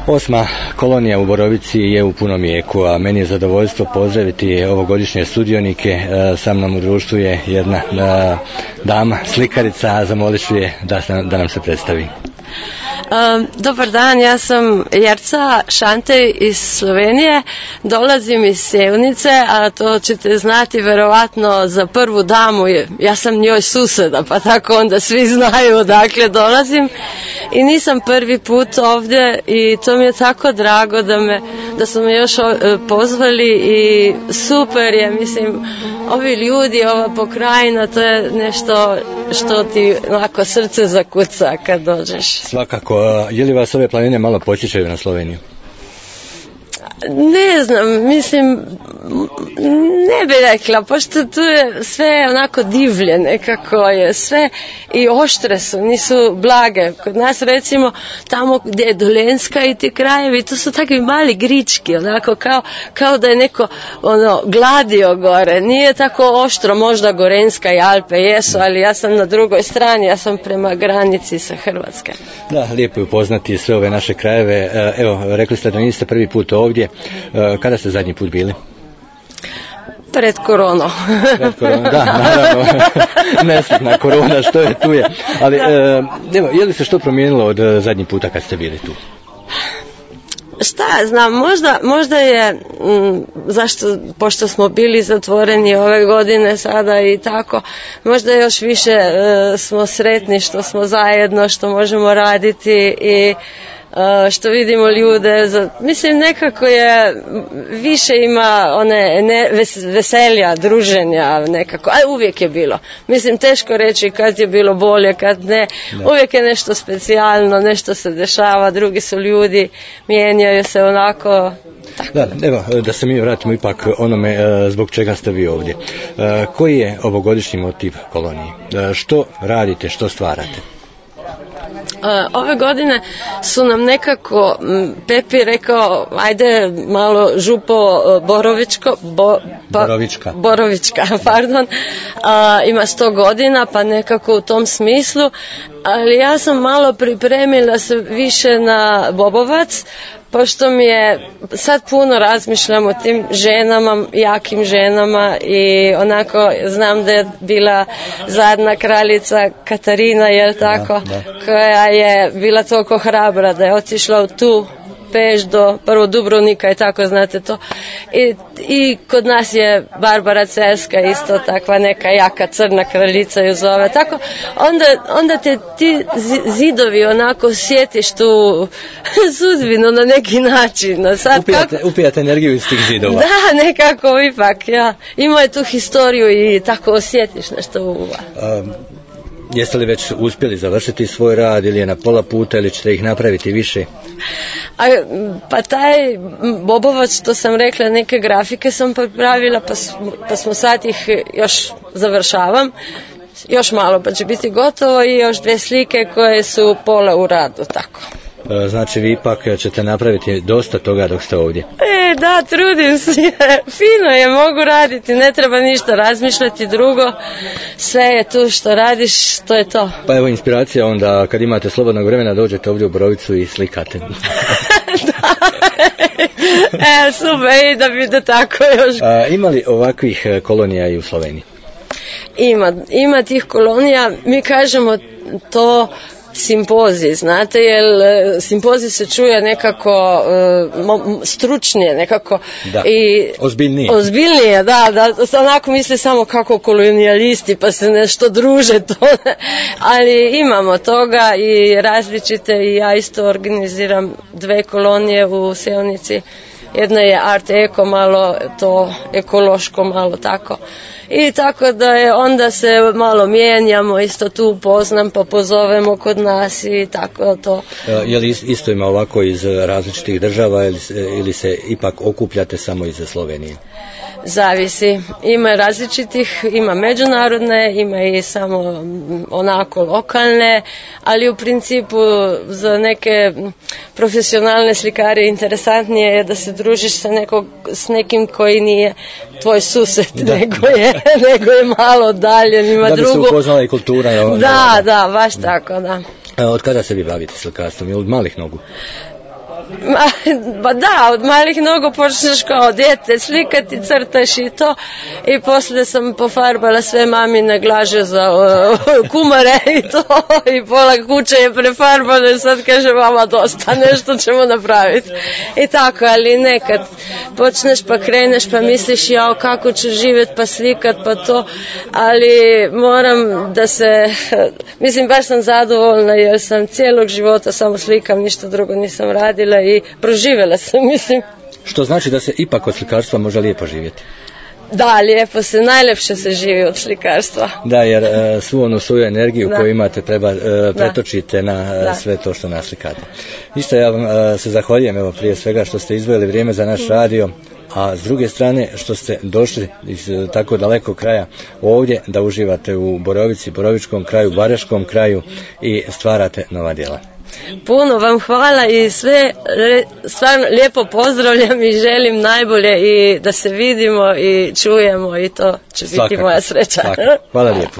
8. kolonija u Borovici je u punom jeku, a meni je zadovoljstvo pozdraviti ovogodišnje sudionike. Sa mnom u društvu je jedna dama, slikarica, a zamolit ću je da nam se predstavi. Dobar dan, ja sam Jerca Šantej iz Slovenije, dolazim iz Sevnice, a to ćete znati verovatno za prvu damu, ja sam njoj suseda, pa tako onda svi znaju odakle dolazim i nisam prvi put ovdje i to mi je tako drago da su me još pozvali i super je, mislim, ovi ljudi, ova pokrajina, to je nešto što ti onako srce zakuca kad dođeš. Svakako, je li vas ove planine malo podsjećaju na Sloveniju? Ne znam, mislim, ne bih rekla, pošto tu je sve onako divlje nekako je, sve i oštre su, nisu blage. Kod nas recimo tamo gdje je Dolenjska i ti krajevi, to su takvi mali grički, onako kao da je neko gladio gore, nije tako oštro, možda Gorenjska i Alpe jesu, ali ja sam na drugoj strani, ja sam prema granici sa Hrvatske. Da, lijepo je upoznati sve ove naše krajeve. Evo, rekli ste da niste prvi put ovdje. Kada ste zadnji put bili? Pred koronom. Pred koronom, da, naravno. Nesretna korona, što je tu je. Ali, evo, je li se što promijenilo od zadnji puta kad ste bili tu? Šta ja znam, možda je, pošto smo bili zatvoreni ove godine sada i tako, možda još više smo sretni što smo zajedno, što možemo raditi i što vidimo ljude, mislim nekako je, više ima veselja, druženja nekako, a uvijek je bilo. Mislim, teško reći kad je bilo bolje, kad ne, uvijek je nešto specijalno, nešto se dešava, drugi su ljudi, mijenjaju se onako. Da, evo, da se mi vratimo ipak onome zbog čega ste vi ovdje. Koji je ovogodišnji motiv kolonije? Što radite, što stvarate? Ove godine su nam nekako, Pepi rekao, ajde malo župo Borovička, pardon, ima 100 godina, pa nekako u tom smislu, ali ja sam malo pripremila se više na Bobovac, pošto mi je, sad puno razmišljam o tim ženama, jakim ženama i onako znam da je bila zadnja kraljica Katarina, jel tako, koja je bila toliko hrabra da je otišla u tu Peš do prvo Dubrovnika i tako, znate to. I kod nas je Barbara Cerska isto takva neka jaka crna kraljica ju zove. Tako, onda te ti zidovi onako sjetiš tu sudbinu na neki način. Sad, upijate energiju iz tih zidova. Da, nekako ipak, ja. Ima je tu historiju i tako osjetiš nešto u Jeste li već uspjeli završiti svoj rad ili je na pola puta ili ćete ih napraviti više? Pa taj Bobovac, što sam rekla, neke grafike sam pripravila, pa smo sad ih još završavam. Još malo pa će biti gotovo i još 2 slike koje su pola u radu, tako. Znači vi ipak ćete napraviti dosta toga dok ste ovdje. Da, trudim se, fino je, mogu raditi, ne treba ništa razmišljati drugo, sve je tu što radiš, to je to. Pa evo inspiracija onda, kad imate slobodnog vremena dođete ovdje u Borovicu i slikate. Da, super, i da bude tako još. Ima li ovakvih kolonija i u Sloveniji? Ima tih kolonija, mi kažemo to simpozij, znate, jer simpozij se čuje nekako stručnije, nekako i ozbiljnije, da, onako misle samo kako kolonijalisti pa se nešto druže to, ali imamo toga i različite i ja isto organiziram 2 kolonije u Sevnici. Jedna je art eko, malo to ekološko, malo tako. I tako da je, onda se malo mijenjamo, isto tu upoznam, pa pozovemo kod nas i tako to. Je li isto ima ovako iz različitih država ili se ipak okupljate samo iz Slovenije? Zavisi. Ima različitih, ima međunarodne, ima i samo onako lokalne, ali u principu za neke profesionalne slikare interesantnije je da se družiš s nekim koji nije tvoj sused, nego je malo dalje. Da bi se upoznala i kultura. Da, baš tako, da. Od kada se vi bavite slikarstvom? Je od malih nogu? Ba da, od malih nogu počneš kao djete slikati, crtaš i to, i poslije sam pofarbala sve mamine glaže za kumare i to, i pola kuće je prefarbano i sad kaže mama dosta, nešto ćemo napraviti. I tako, ali nekad počneš pa kreneš pa misliš jao kako ću živjeti pa slikat pa to, ali moram da se, mislim baš sam zadovoljna jer sam cijelog života samo slikam, ništa drugo nisam radila i proživjela sam, mislim. Što znači da se ipak od slikarstva može lijepo živjeti? Da, lijepo se, najljepše se živi od slikarstva. Da, jer svu onu svoju energiju koju imate treba pretočite na sve to što naslikate. Isto ja vam se zahvaljujem evo prije svega što ste izdvojili vrijeme za naš radio, a s druge strane što ste došli iz tako dalekog kraja ovdje da uživate u Borovici, Borovičkom kraju, Baraškom kraju i stvarate nova djela. Puno vam hvala i sve stvarno lijepo pozdravljam i želim najbolje i da se vidimo i čujemo i to će biti moja sreća. Hvala lijepo.